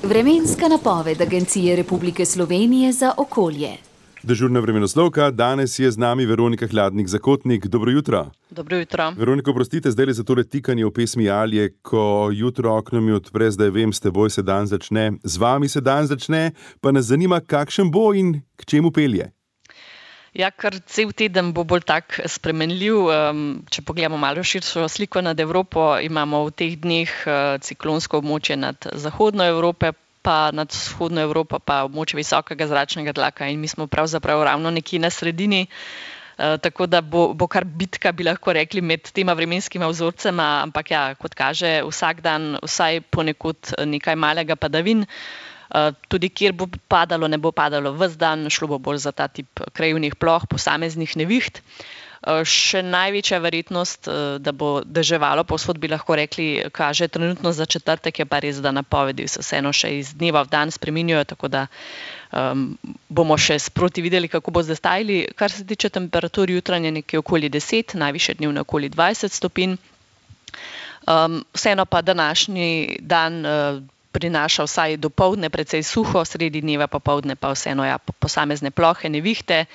Vremenska napoved Agencije Republike Slovenije za okolje. Dežurna vremenoslovka, danes je z nami Veronika Hladnik-Zakotnik. Dobro jutro. Dobro jutro. Veronika, oprostite, zdaj za tole tikanje v pesmi Alje, ko jutro okno mi odpre, zdaj vem, s teboj se dan začne, z vami se dan začne, pa nas zanima, kakšen bo in k čemu pelje. Ja, kar cel teden bo bolj tak spremenljiv. Če pogledamo malo širšo sliko nad Evropo, imamo v teh dneh ciklonsko območje nad zahodno Evropo, pa nad vzhodno Evropo pa območje visokega zračnega tlaka in mi smo pravzaprav ravno nekje na sredini. Tako da bo kar bitka, bi lahko rekli, med tema vremenskima vzorcema, ampak ja, kot kaže, vsak dan vsaj ponekod nekaj malega padavin. Tudi kjer bo padalo, ne bo padalo ves dan, šlo bo bolj za ta tip krajevnih ploh, posameznih neviht. Še največja verjetnost, da bo deževalo, povsod bi lahko rekli, kaže trenutno za četrtek, je pa res, da napovedi se vseeno še iz dneva v dan spreminjajo, tako da bomo še sproti videli, kako bo zdaj stajali. Kar se tiče temperatur, jutranje nekje okoli 10, najvišje dnevne okoli 20 stopinj. Vseeno pa današnji dan prinaša vsaj dopoldne precej suho, sredi dneva popoldne pa vseeno posamezne plohe, nevihte.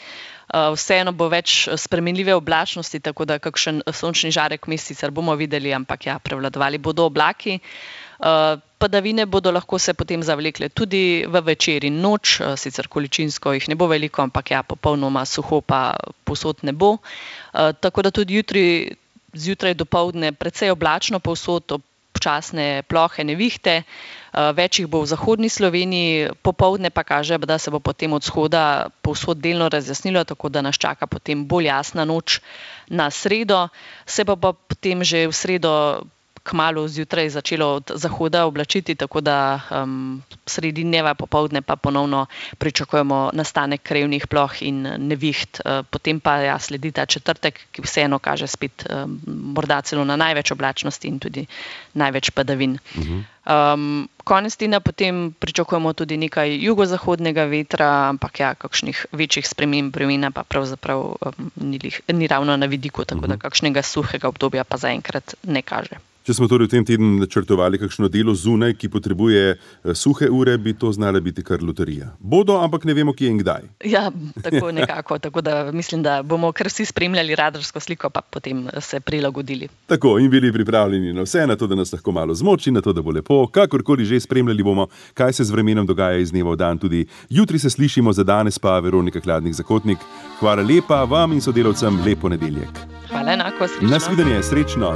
Vseeno bo več spremenljive oblačnosti, tako da kakšen sončni žarek vmes sicer bomo videli, ampak ja, prevladovali bodo oblaki. Padavine bodo lahko se potem zavlekle tudi v večer in noč, sicer količinsko jih ne bo veliko, ampak ja, popolnoma suho pa povsod ne bo. Tako da tudi zjutraj dopoldne precej oblačno povsod, občasne plohe, nevihte. Več jih bo v zahodni Sloveniji, popoldne pa kaže, da se bo potem od vzhoda povsod delno razjasnilo, tako da nas čaka potem bolj jasna noč na sredo. Se pa potem že v sredo kmalu zjutraj začelo od zahoda oblačiti, tako da sredi dneva popoldne pa ponovno pričakujemo nastanek krajevnih ploh in neviht. Potem pa ja, sledi ta četrtek, ki vseeno kaže spet morda celo na največ oblačnosti in tudi največ padavin. Konec tedna potem pričakujemo tudi nekaj jugozahodnega vetra, ampak ja, kakšnih večjih sprememb vremena pa pravzaprav ni ravno na vidiku, tako da kakšnega suhega obdobja pa zaenkrat ne kaže. Če smo torej v tem tednu načrtovali kakšno delo zunaj, ki potrebuje suhe ure, bi to znala biti kar loterija. Bodo, ampak ne vemo, kje in kdaj. Ja, tako nekako. Tako da mislim, da bomo kar vsi spremljali radarsko sliko, pa potem se prilagodili. Tako, in bili pripravljeni na vse, na to, da nas lahko malo zmoči, na to, da bo lepo. Kakorkoli že spremljali bomo, kaj se z vremenom dogaja iz dneva v dan. Tudi jutri se slišimo, za danes pa Veronika Hladnik-Zakotnik. Hvala lepa vam in sodelavcem, lep ponedeljek. Hvala enako, srečno. Nasvidenje, srečno.